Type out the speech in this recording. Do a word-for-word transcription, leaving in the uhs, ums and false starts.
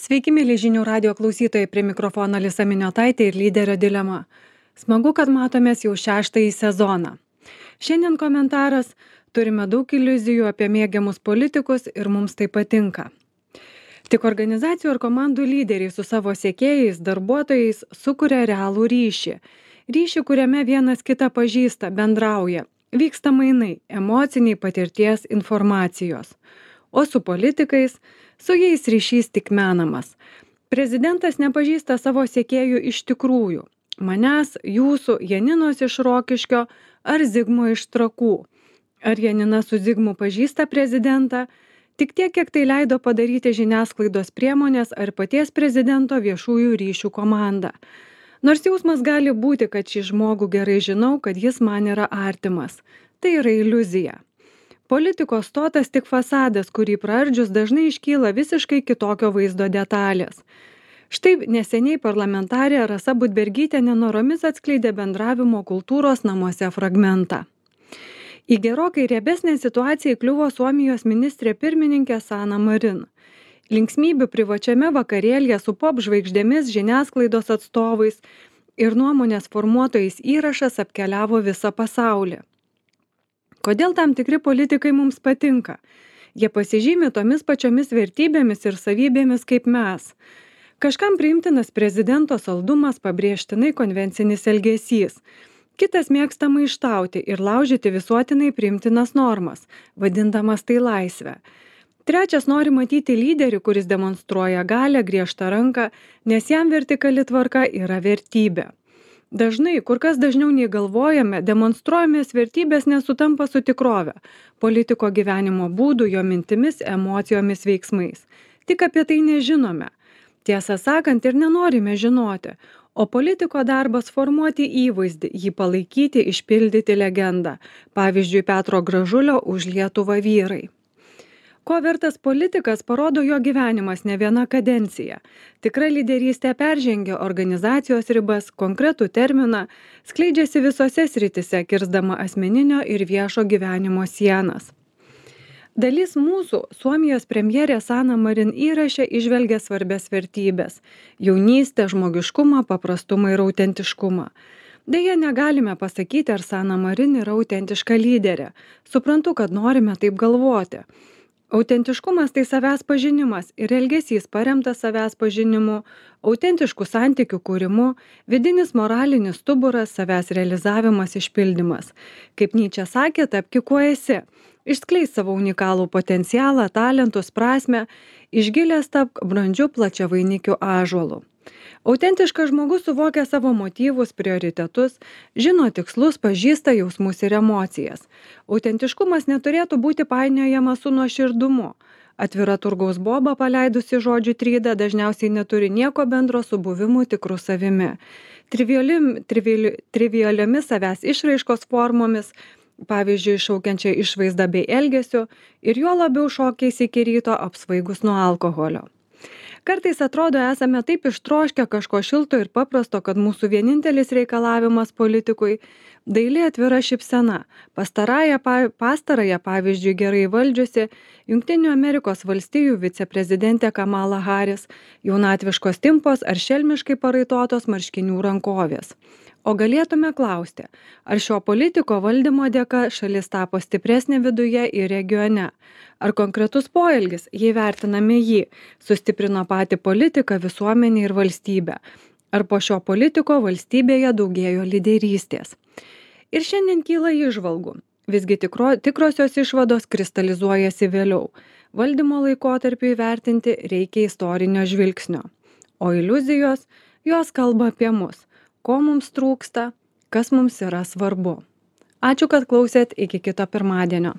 Sveiki, mėly žinių radio klausytojai, prie mikrofono Lisa Miniotaitė ir lyderio dilema. Smagu, kad matomės jau šeštąjį sezoną. Šiandien komentaras: turime daug iliuzijų apie mėgiamus politikus ir mums tai patinka. Tik organizacijų ir komandų lyderiai su savo sekėjais, darbuotojais sukuria realų ryšį. Ryšį, kuriame vienas kitą pažįsta, bendrauja. Vyksta mainai, emociniai patirties informacijos. O su politikais, su jais ryšys tik menamas. Prezidentas nepažįsta savo sekėjų iš tikrųjų. Manęs, jūsų, Janinos iš Rokiškio ar Zigmo iš Trakų. Ar Janina su Zigmu pažįsta prezidentą? Tik tiek, kiek tai leido padaryti žiniasklaidos priemonės ar paties prezidento viešųjų ryšių komanda. Nors jausmas gali būti, kad šį žmogų gerai žinau, kad jis man yra artimas. Tai yra iliuzija. Politikos stotas tik fasadas, kurį praardžius dažnai iškyla visiškai kitokio vaizdo detalės. Štai neseniai parlamentarė Rasa Budbergytė nenoromis atskleidė bendravimo kultūros namuose fragmentą. Į gerokai riebesnę situaciją įkliuvo Suomijos ministrė pirmininkė Sanna Marin. Linksmybių privačiame vakarėlyje su pop žvaigždėmis, žiniasklaidos atstovais ir nuomonės formuotojais įrašas apkeliavo visą pasaulį. Kodėl tam tikri politikai mums patinka? Jie pasižymi tomis pačiomis vertybėmis ir savybėmis kaip mes. Kažkam priimtinas prezidento saldumas, pabrėžtinai konvencinis elgesys. Kitas mėgsta maištauti ir laužyti visuotinai priimtinas normas, vadindamas tai laisvę. Trečias nori matyti lyderį, kuris demonstruoja galią, griežtą ranką, nes jam vertikali tvarka yra vertybė. Dažnai, kur kas dažniau nei galvojame, demonstruojamės vertybės nesutampa su tikrove, politiko gyvenimo būdu, jo mintimis, emocijomis, veiksmais. Tik apie tai nežinome. Tiesą sakant, ir nenorime žinoti, o politiko darbas formuoti įvaizdį, jį palaikyti, išpildyti legendą. Pavyzdžiui, Petro Gražulio Už Lietuvą vyrai. Ko vertas politikas, parodo jo gyvenimas ne viena kadencija. Tikra lyderystė peržengia organizacijos ribas, konkretų terminą, skleidžiasi visose sritise, kirsdama asmeninio ir viešo gyvenimo sienas. Dalis mūsų Suomijos premjerė Sanna Marin įraše įžvelgia svarbias vertybės – jaunystę, žmogiškumą, paprastumą ir autentiškumą. Deja, negalime pasakyti, ar Sanna Marin yra autentiška lyderė. Suprantu, kad norime taip galvoti. Autentiškumas tai savęs pažinimas ir elgesys paremtas savęs pažinimu, autentiškų santykių kūrimu, vidinis moralinis stuburas, savęs realizavimas, išpildymas. Kaip Nyčė sakė, tapki kuo esi. Išskleisk savo unikalų potencialą, talentus, prasmę, išgilęs tapk brandžiu plačiavainikiu ąžuolu. Autentiškas žmogus suvokia savo motyvus, prioritetus, žino tikslus, pažįsta jausmus ir emocijas. Autentiškumas neturėtų būti painiojamas su nuoširdumu. Atvira turgaus boba paleidusi žodžių trydą dažniausiai neturi nieko bendro su buvimu tikru savimi. Triviali, trivili, trivialiomis savęs išraiškos formomis, pavyzdžiui, šaukiančia išvaizda bei elgesiu, ir juo labiau šokiais iki ryto apsvaigus nuo alkoholio. Kartais atrodo, esame taip ištroškę kažko šilto ir paprasto, kad mūsų vienintelis reikalavimas politikui – daili atvira šypsena. Pastarąją, pastarąją pavyzdžiui, gerai valdžiusi Jungtinių Amerikos valstijų viceprezidentė Kamala Harris, jaunatviškos timpos ar šelmiškai paraitotos marškinių rankovės. O galėtume klausti, ar šio politiko valdymo dėka šalis tapo stipresnė viduje ir regione? Ar konkretus poelgis, jei vertiname jį, sustiprino patį politiką, visuomenę ir valstybę? Ar po šio politiko valstybėje daugėjo lyderystės? Ir šiandien kyla įžvalgų. Visgi tikro, tikrosios išvados kristalizuojasi vėliau. Valdymo laikotarpiu įvertinti reikia istorinio žvilgsnio. O iliuzijos, jos kalba apie mus. Ko mums trūksta, kas mums yra svarbu. Ačiū, kad klausėt, iki kito pirmadienio.